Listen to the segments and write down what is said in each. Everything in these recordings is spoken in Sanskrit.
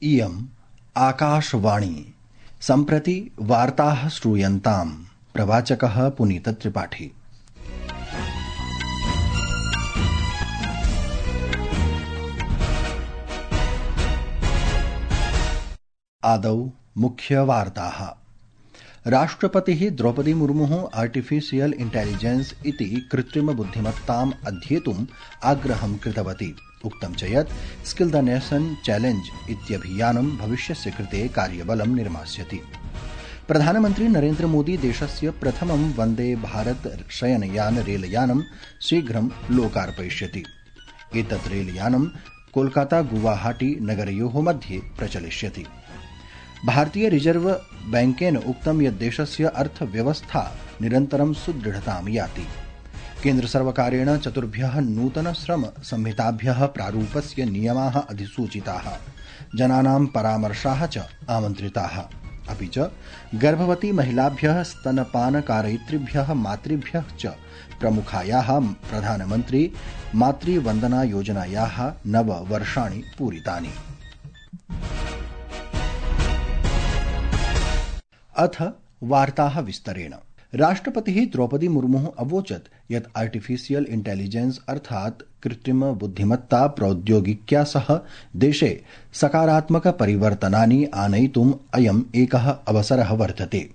इयम् आकाशवाणी सम्प्रति वार्ताः श्रूयन्ताम्। प्रवाचकः पुनीतत्रिपाठी। आदौ मुख्यवार्ताः। राष्ट्रपतिः द्रौपदी मुर्मुः आर्टिफिशियल इंटेलिजेंस इति कृत्रिमबुद्धिमत्ताम् अध्येतुम् आग्रहं कृतवती। उक्तं च यत् स्किल द नेशन चैलेंज इत्यभियानं भविष्यस्य कृते कार्यबलं निर्मास्यति। प्रधानमन्त्री नरेन्द्र मोदी देशस्य प्रथमं वन्दे भारत शयनयान रेलयानं शीघ्रं लोकार्पयिष्यति। एतत् रेलयानं कोलकाता गुवाहाटी नगरयोः मध्ये प्रचलिष्यति। भारतीय रिजर्व बैंकेन उक्तं यत् देशस्य अर्थव्यवस्था निरन्तरं सुदृढतां याति। केन्द्रसर्वकारेण 4 नूतन श्रम संहिताभ्यः प्रारूपस्य नियमाः अधिसूचिताः। जनानां परामर्शाः च आमन्त्रिताः। अपि च गर्भवती महिलाभ्यः स्तनपानकारयित्रीभ्यः मातृभ्यः च प्रमुखायाः प्रधानमन्त्री मातृवन्दना योजनायाः 9 वर्षाणि पूरितानि। अथ वार्ताः विस्तरेण। राष्ट्रपतिः द्रौपदी मुर्मुः अवोचत् यत् आर्टिफिशियल इंटेलिजेंस अर्थात् कृत्रिम बुद्धिमत्ता प्रौद्योगिक्या सह देशे सकारात्मक परिवर्तनानि आनयितुम् अयम् एकः अवसरः वर्तते।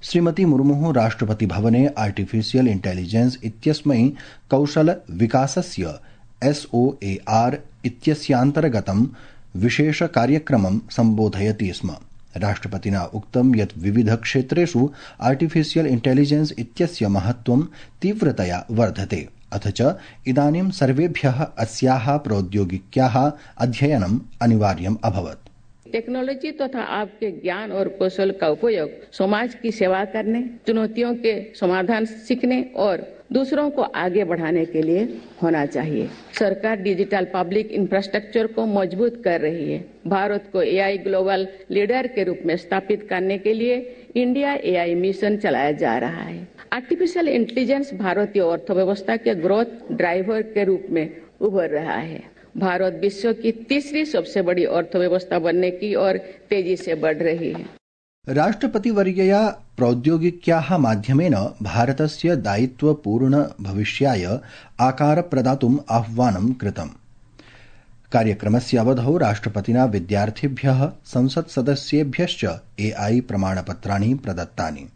श्रीमती मुर्मुः राष्ट्रपति भवने आर्टिफिशियल इंटेलिजेंस इत्यस्मै कौशल विकासस्य SOAR इत्यस्यान्तर्गतं विशेष कार्यक्रमं सम्बोधयति स्म। राष्ट्रपतिना उक्तं यत् विविध क्षेत्रेषु आर्टिफिशियल इंटेलिजेंस इत्यस्य महत्त्वं तीव्रतया वर्धते। अथ च इदानीं सर्वेभ्यः अस्याः प्रौद्योगिक्याः अध्ययनम् अनिवार्यम् अभवत्। टेक्नोलॉजी तथा आपके ज्ञान और कौशल का उपयोग समाज की सेवा करने, चुनौतियों के समाधान सीखने और दूसरों को आगे बढ़ाने के लिए होना चाहिए। सरकार डिजिटल पब्लिक इंफ्रास्ट्रक्चर को मजबूत कर रही है। भारत को AI ग्लोबल लीडर के रूप में स्थापित करने के लिए इंडिया AI मिशन चलाया जा रहा है। आर्टिफिशियल इंटेलिजेंस भारतीय अर्थव्यवस्था के ग्रोथ ड्राइवर के रूप में उभर रहा है। भारत विश्व की तीसरी सबसे बड़ी अर्थव्यवस्था बनने की ओर तेजी से बढ़ रही है। राष्ट्रपतिवर्यया प्रौद्योगिक्याः माध्यमेन भारतस्य दायित्वपूर्ण भविष्याय आकार प्रदातुम् आह्वानं कृतम्। कार्यक्रमस्य अवधौ राष्ट्रपतिना विद्यार्थिभ्यः संसत्सदस्येभ्यश्च AI प्रमाणपत्राणि प्रदत्तानि।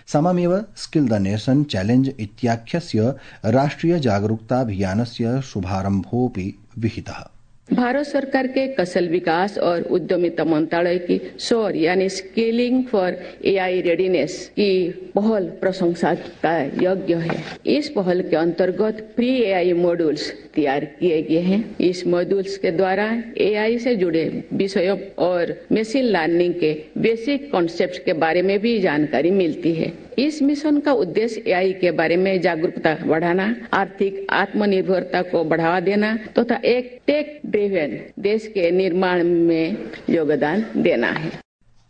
सममेव स्किल द नेशन चैलेंज इत्याख्यस्य राष्ट्रिय जागरूकताभियानस्य शुभारम्भोऽपि विहितः। भारत सरकार के कौशल विकास और उद्यमिता मंत्रालय की SOAR यानी स्किलिंग फॉर AI रेडीनेस की पहल प्रशंसा का योग्य है। इस पहल के अंतर्गत प्री AI मॉड्यूल्स तैयार किए गए हैं। इस मॉड्यूल्स के द्वारा AI से जुड़े विषयों और मशीन लर्निंग के बेसिक कॉन्सेप्ट्स के बारे में भी जानकारी मिलती है। इस मिशन का उद्देश्य AI के बारे में जागरूकता बढ़ाना, आर्थिक आत्मनिर्भरता को बढ़ावा देना तथा एक टेक ड्रिवन देश के निर्माण में योगदान देना है।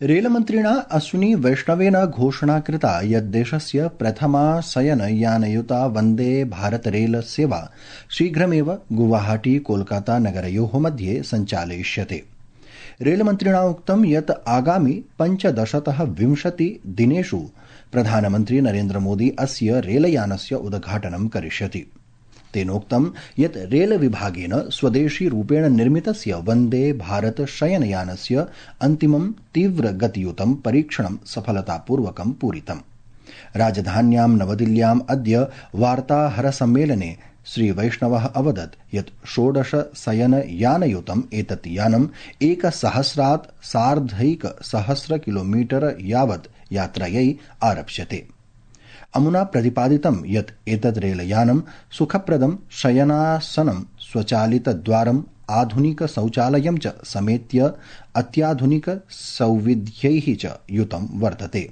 रेलमन्त्रिणा अश्विनी वैष्णवेन घोषणा कृता यत् देशस्य प्रथमा शयनयानयुता वन्दे भारत रेल सेवा शीघ्रमेव गुवाहाटी कोलकाता नगरयोः मध्ये सञ्चालयिष्यते। रेलमन्त्रिणा उक्तं यत् आगामि 15 20 दिनेषु प्रधानमन्त्री नरेन्द्र मोदी अस्य रेलयानस्य उद्घाटनं करिष्यति। तेनोक्तं यत् रेल विभागेन स्वदेशी रूपेण निर्मितस्य वन्दे भारत शयनयानस्य अन्तिमं तीव्रगतियुतं परीक्षणं सफलतापूर्वकं पूरितम्। राजधान्यां नवदिल्ल्याम् अद्य वार्ताहरसम्मेलने श्रीवैष्णवः अवदत् यत् 16 शयनयानयुतम् एतत् यानम् 1000 सार्धैकसहस्र किलोमीटर यावत् यात्रायै आरप्स्यते। अमुना प्रतिपादितं यत् एतत् रेलयानं सुखप्रदं शयनासनं, स्वचालितद्वारम्, आधुनिक शौचालयं च समेत्य अत्याधुनिक सौविध्यैः च युतं वर्तते।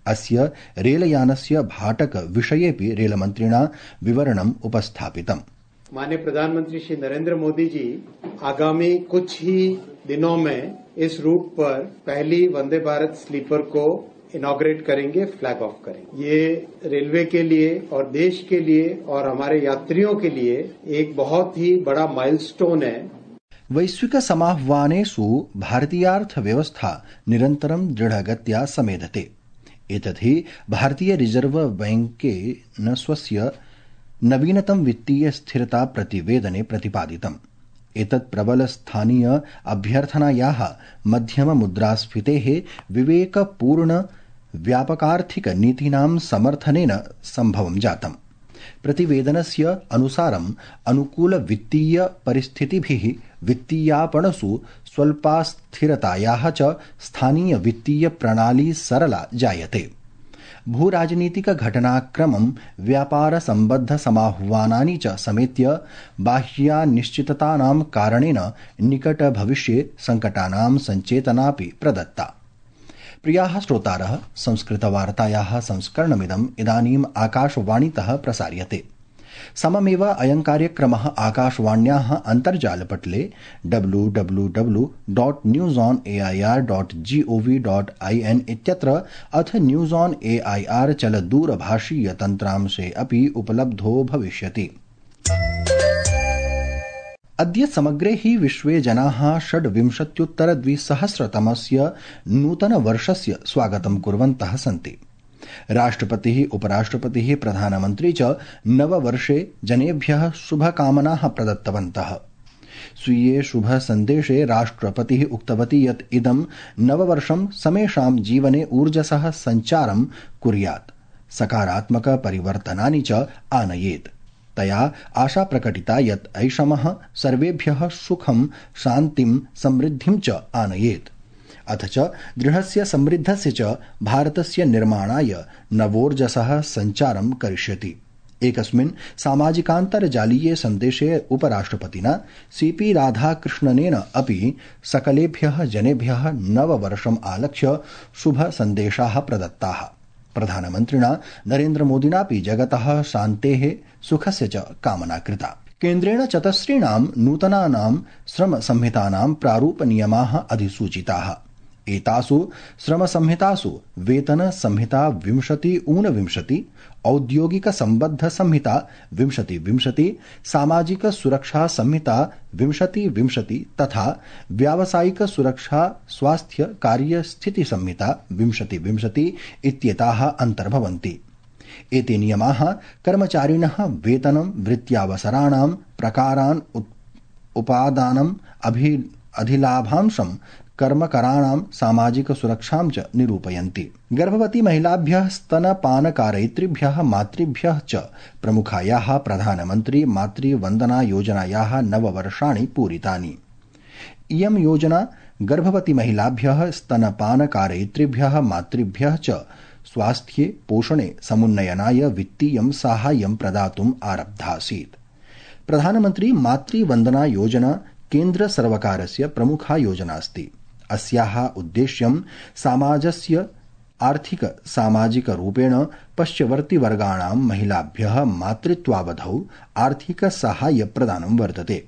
अस्य रेलयानस्य भाटक विषयेपि रेलमन्त्रिणा विवरणम् उपस्थापितम्। माननीय प्रधानमंत्री श्री नरेंद्र मोदी जी आगामी कुछ ही दिनों में इस रूट पर पहली वंदे भारत स्लीपर को इनॉग्रेट करेंगे, फ्लैग ऑफ करेंगे। ये रेलवे के लिए और देश के लिए और हमारे यात्रियों के लिए एक बहुत ही बड़ा माइलस्टोन है। वैश्विकसमाह्वानेषु भारतीयार्थव्यवस्था निरन्तरं दृढगत्या समेधते। एतत् हि भारतीय रिजर्व बैंकेन स्वस्य नवीनतम वित्तीय स्थिरता प्रतिवेदने प्रतिपादितम्। एतत् प्रबल स्थानीय अभ्यर्थनायाः मध्यम मुद्रास्फीतेः विवेकपूर्ण व्यापकार्थिक नीतीनां समर्थनेन सम्भवं जातम्। प्रतिवेदनस्य अनुसारम् अनुकूल वित्तीय परिस्थितिभिः वित्तीयापणसु स्वल्पास्थिरतायाः च स्थानीय वित्तीय प्रणाली सरला जायते। भूराजनीतिक घटनाक्रमं व्यापार सम्बद्ध समाह्वानानि च समेत्य बाह्यानिश्चिततानां कारणेन निकट भविष्ये संकटानां संचेतनापि प्रदत्ता। प्रियाः श्रोतारः, संस्कृतवार्तायाः संस्करणमिदम् इदानीम् आकाशवाणीतः प्रसार्यते। सममेव अयं कार्यक्रमः आकाशवाण्याः अन्तर्जालपटले www.newsonair.gov.in इत्यत्र अथ न्यूज़ ऑन AIR चलदूरभाषीय तन्त्रांशे अपि उपलब्धो भविष्यति। अद्य समग्रे हि विश्वे जनाः 26-द्विसहस्रतमस्य नूतनवर्षस्य स्वागतं कुर्वन्तः सन्ति। राष्ट्रपतिः, उपराष्ट्रपतिः, प्रधानमन्त्री च नववर्षे जनेभ्यः शुभकामनाः प्रदत्तवन्तः। स्वीये शुभसन्देशे राष्ट्रपतिः उक्तवती यत् इदं नववर्षं समेषां जीवने ऊर्जसः सञ्चारं कुर्यात्, सकारात्मक परिवर्तनानि च आनयेत्। तया आशा प्रकटिता यत् ऐषमः सर्वेभ्यः सुखं, शान्तिं, समृद्धिं च आनयेत्। अथ च दृढस्य समृद्धस्य च भारतस्य निर्माणाय नवोर्जसः सञ्चारं करिष्यति। एकस्मिन् सामाजिकान्तर्जालीये सन्देशे उपराष्ट्रपतिना CP राधाकृष्णनेन अपि सकलेभ्यः जनेभ्यः नववर्षम् आलक्ष्य शुभसन्देशाः प्रदत्ताः। प्रधानमन्त्रिणा नरेन्द्रमोदिनापि जगतः शान्तेः, सुखस्य च कामना कृता। केन्द्रेण चतस्रीणां नूतनानां श्रमसंहितानां प्रारूपनियमाः अधिसूचिताः। एतासु श्रमसंहितासु वेतनसंहिता 20-ऊनविंशति, औद्योगिकसम्बद्धसंहिता 20-20, सामाजिकसुरक्षासंहिता 20-20 तथा व्यावसायिकसुरक्षा स्वास्थ्य कार्यस्थितिसंहिता 20-20 इत्येताः अन्तर्भवन्ति। एते नियमाः कर्मचारिणः वेतनं, वृत्त्यावसराणां प्रकारान्, उपादानम्, अधिलाभांशं, कर्मकराणां सामाजिकसुरक्षां च निरूपयन्ति। गर्भवती महिलाभ्यः, स्तनपानकारयित्रीभ्यः, मातृभ्यः च प्रमुखायाः प्रधानमन्त्री मातृवन्दना योजनायाः 9 वर्षाणि पूरितानि। इयं योजना गर्भवती महिलाभ्यः, स्तनपानकारयित्रीभ्यः, मातृभ्यः च स्वास्थ्ये, पोषणे समुन्नयनाय वित्तीयं साहाय्यं प्रदातुम् आरब्धासीत्। प्रधानमन्त्री मातृवन्दना योजना केन्द्र सर्वकारस्य प्रमुखा योजना अस्ति। अस्याः उद्देश्यं समाजस्य आर्थिक सामाजिक रूपेण पश्यवर्तिवर्गाणां महिलाभ्यः मातृत्वावधौ आर्थिक साहाय्य प्रदानं वर्तते।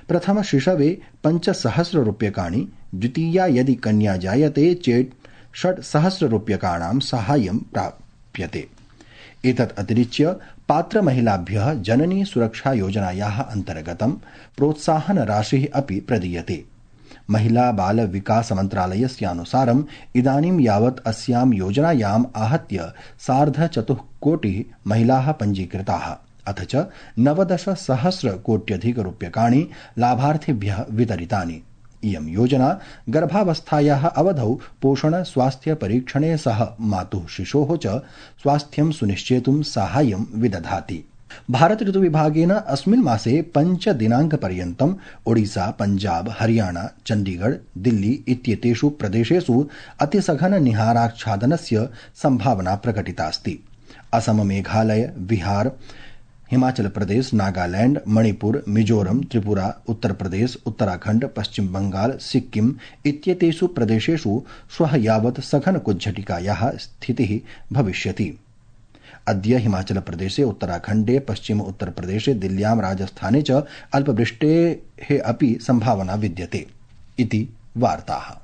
प्रथम शिशवे 5,000 रूप्यकाणि, द्वितीया यदि कन्या जायते चेत् 6,000 रूप्यकाणां साहाय्यं प्राप्यते। एतत् अतिरिच्य पात्रमहिलाभ्यः जननी सुरक्षा योजनायाः अन्तर्गतं प्रोत्साहन राशिः अपि प्रदीयते। महिला बाल विकास मन्त्रालयस्यानुसारम् इदानीं यावत् अस्यां योजनायाम् आहत्य 4.25 कोटिः महिलाः पञ्जीकृताः, अथ च 19,000 कोट्यधिकरूप्यकाणि लाभार्थिभ्यः वितरितानि। इयं योजना गर्भावस्थायाः अवधौ पोषण स्वास्थ्य परीक्षणे सह मातुः शिशोः च स्वास्थ्यं सुनिश्चेतुं साहाय्यं विदधाति। भारत ऋतुविभागेन अस्मिन् मासे 5 दिनाङ्कपर्यन्तम् ओडिशा, पञ्जाब, हरियाणा, चण्डीगढ़, दिल्ली इत्येतेषु प्रदेशेषु अतिसघन निहाराच्छादनस्य सम्भावना प्रकटिता अस्ति। असम, मेघालय, बिहार, हिमाचल प्रदेश, नागालैंड, मणिपुर, मिजोरम, त्रिपुरा, उत्तर प्रदेश, उत्तराखंड, पश्चिम बंगाल, सिक्किम इत्येतेषु प्रदेशेषु श्वः यावत् सघन कुज्झटिकायाः स्थितिः भविष्यति। अद्य हिमाचल प्रदेशे, उत्तराखण्डे, पश्चिम उत्तर प्रदेशे, दिल्ल्यां, राजस्थाने च अल्पवृष्टेः अपि सम्भावना विद्यते इति वार्ताः।